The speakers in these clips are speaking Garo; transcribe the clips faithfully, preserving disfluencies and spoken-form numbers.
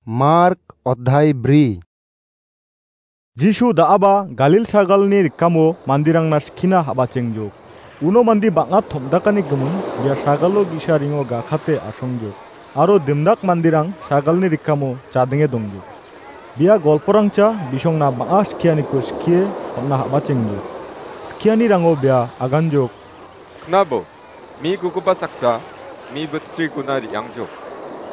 Mark odhai bri. Jisu da·aba Galil sagalni rikamo manderangna skina habachengjok. Uno mande bang·a tom·dakani gimin bia sagalo ge·sa ringo gakate asongjok. Aro dimdak manderang sagalni rikamo chadenge dongjok. Bia golporangcha bisongna bang·a skianiko skie on·na habachengjok. Skianirango bia aganjok. Knabo, mi gugipa saksa, mi bitsrikona re·angjok.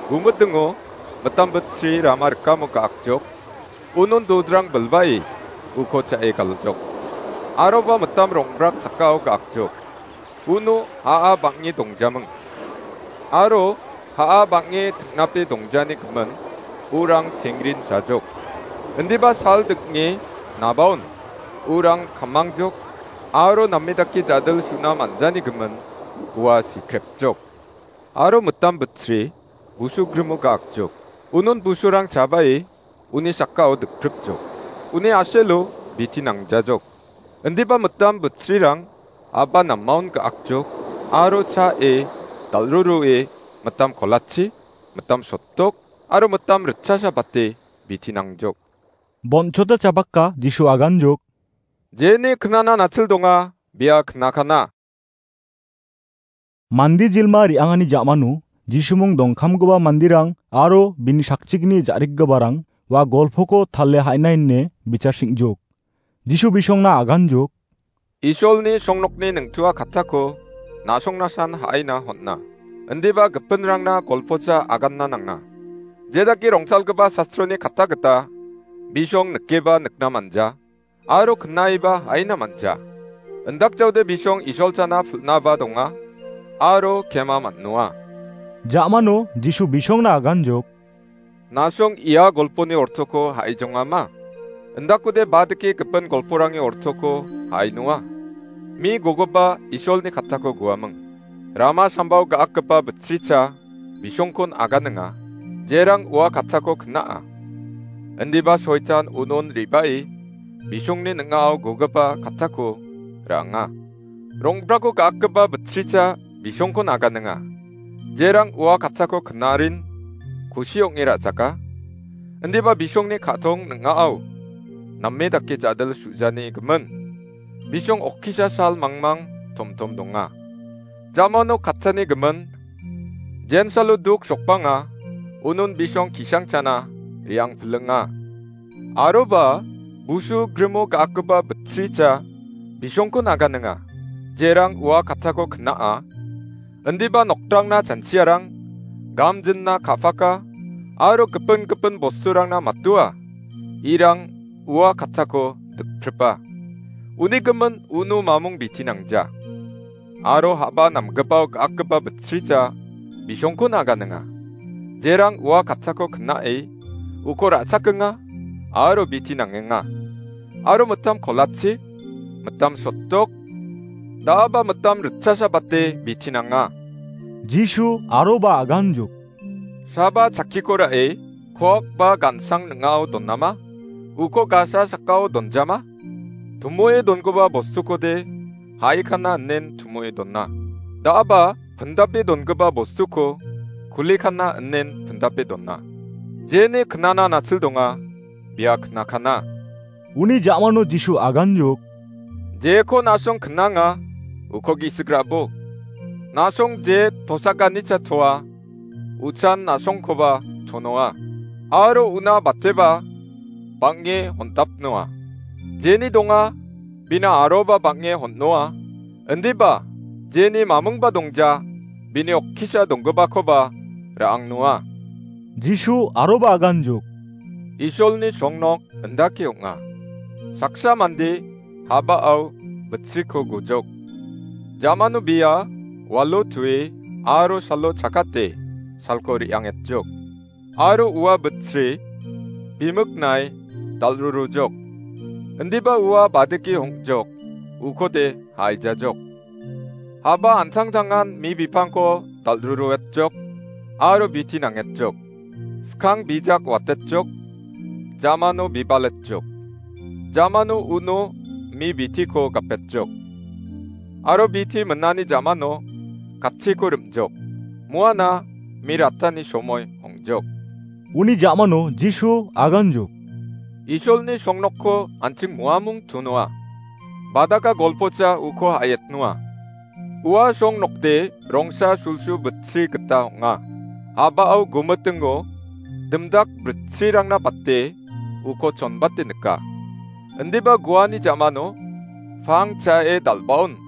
Gumitingo, mitam bitsri rama rikamo ga·akjok. Unon dodrang bilbae, uko cha·e galjok. Aroba mitam rongbrak sakao ga·akjok. Uno ha·a bang·e dongjaming. Aro ha·a bang·e ting·nape dongjani gimin, urang tengrin chajok. Indiba sal dikni nabaon, urang kamangjok, aro name dake jadil su·na man·jani gimin, ua sikrepjok. Aro mitam bitsri, busu grimo ga·akjok. Unon busurang chabae, uni sakao dikpripjok. Uni aselo biti nangjajok. Indiba mitam bitsrirang aba namaon ga·akjok, aro cha·e, dal·rurue, mitam kolachi, mitam sotdok, aro mitam ritchasa bate biti nangjok. Bonchota chabaka Jisu aganjok. Jeni knana nachil donga, bia knakana. Mande jilma re·angani ja·mano Jisumung dongkamgipa manderang aro bini sakchikni ja·rikgiparang ua golpoko tale ha·ina ine bichasing·jok. Jisu bisongna aganjok. Isolni songnokni ningtua kattako na·songnasan ha·aina hon·a. Indiba gipinrangna golpocha aganna nanga. Jedake rongtalgipa sastroni katta gita bisong nikeba nikna manja. Aro knaiba ha·aina manja. Indakjaode bisong Isolchana pil·naba donga, aro kema man·noa. Ja·mano Jisu bisongna aganjok. Na·song ia golponi ortoko ha·ijongama? Indakode badike gipin golporangni ortoko ha·ainoa. Mi gogipa Isolni kattako guaming. Rama sambao ga·akgipa bitsricha bisongkon aganinga, jerang ua kattako kna·a. Indiba soitan unon re·bae bisongni ning·ao gogipa kattako ra·anga. Rongbrako ga·akgipa bitsricha bisongkon aganinga, jerang ua kattako knarin kusi ong·e ra·jaka. Indiba bisongni ka·tong ning·ao name dake jadil su·jani gimin. Bisong okkisa sal mangmang tomtom donga. Jamano katchani gimin, jensalo duk sokbanga, unon bisong kisangchana re·ang pilinga. Aroba busu grimo ga·akgipa bitsricha bisongko naganinga, jerang ua kattako kna·a. Indiba nokdangna chanchiarang, gamjinna ka·paka, aro gipin gipin bosturangna matua, irang ua kattako dikpripa. Uni gimin uno mamung biti nangja. Aro ha·ba namgipao ga·akgipa bitsricha bisongko naganinga. Jerang ua kattako kna·e uko ra·chakenga aro biti nangenga. Aro mitam kolachi, mitam sotdok, da·aba mitam ritchasa bate biti nanga. Jisu aroba aganjok. Saba chakkiko ra·e, kok ba gansang ning·ao donama? Uko gasa sakao donjama? Tumoe dongipa bostukode haikana inen tumoe dona. Da·aba pindape dongipa bostuko kulikana inen pindape dona. Jeni knana nachil donga, bia knakana. Uni ja·mano Jisu aganjok. Jeko na·song knanga, uko gisik ra·bo. Na·song je tosaganicha toa, uchan na·songkoba chonoa. Aro una bateba bang·e hondapnoa. Jeni donga, bina aroba bang·e hon·noa. Indiba, jeni mamingba dongja, bini okkisa donggipakoba ra·angnoa. Jisu aroba aganjok. Isolni songnok indake ong·a. Saksa mande habao bitsriko gojok. Jamano bia walo tue aro salo chakate salko re·angetjok. Aro ua bitsri bimiknai dal·rurujok. Indiba ua badike hong·jok, ukode haijajok. Haba antangtangan mi bipangko dal·ruruetjok aro biti nangetjok. Skang bijak watetjok, jamano bibaletjok. Jamano uno mi bitiko gapetjok. Aro biti minani jamano katchiko rim·jok. Muana mi ratani somoi ong·jok. Uni ja·mano Jisu aganjok. Isolni songnokko an·ching moamung tunoa. Badaka golpocha uko ha·etnoa. Ua songnokde rongsa sulsu bitchi gita ong·a. A·bao gumitingo dimdak britchirangna bate uko chonbate nika. Indiba guani ja·mano pang chae dal·baon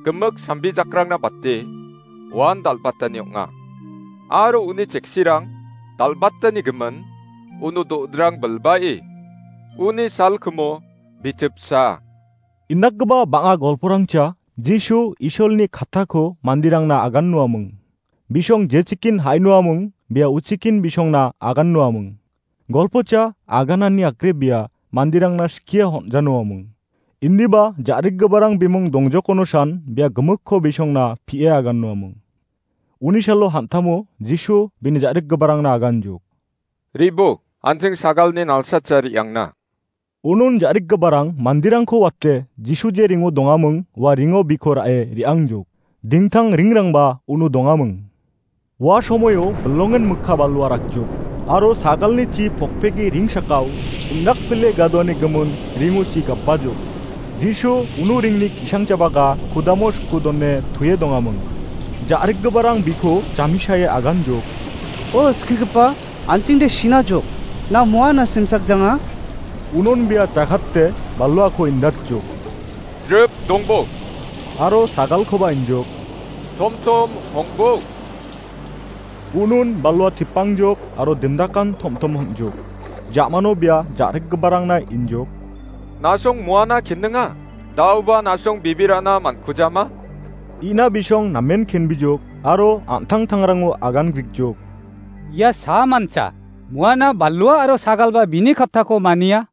gimik sambijakrangna bate uan dal·batani ong·a. Aro uni cheksirang dal·batani gimin uno do·drang bilbae uni salkimo bitipsa. Indakgipa bang·a golporangcha Jisu Isolni kattako manderangna agannoaming. Bisong jechikin ha·inoaming, bia uchikin bisongna agannoaming. Golpocha aganani akrebia manderangna skie honjanoaming. Indiba ja·rikgiparang bimung dongjokonosan bia gimikko bisongna pie agannoaming. Uni salo hantamo Jisu bini ja·rikgiparangna aganjok. Ribo, an·ching sagalni nalsacha re·angna. Unon ja·rikgiparang manderangko wate Jisu je ringo dongaming ua ringo biko ra·e re·angjok. Dingtang ringrangba uno dongaming. Ua somoio bilongen mikka balua rakjok. Aro sagalni chi pokpege ring sakao indakpile gadoani gimin ringo chi gapajok. Jisu uno ringni ki·sangchabaga kudamo sku done tuie dongaming. Ja·rikgiparang biko jamisae aganjok. O skigipa, an·chingde sinajok. Na moana simsakjanga? Unon bia jakatte baluako indatjok. Jrip dongbok. Aro sagalkoba injok. Tomtom hongbok. Unon balua tipangjok aro dimdakan tomtom hongjok. Ja·mano bia ja·rikgiparangna injok. Nasong moana kenninga. Daoba nasong bibirana mankujama? Ina bisong namen kenbijok aro an·tangtangrango agan grikjok. Ia samancha, moana balua aro sagalba bini kattako mania.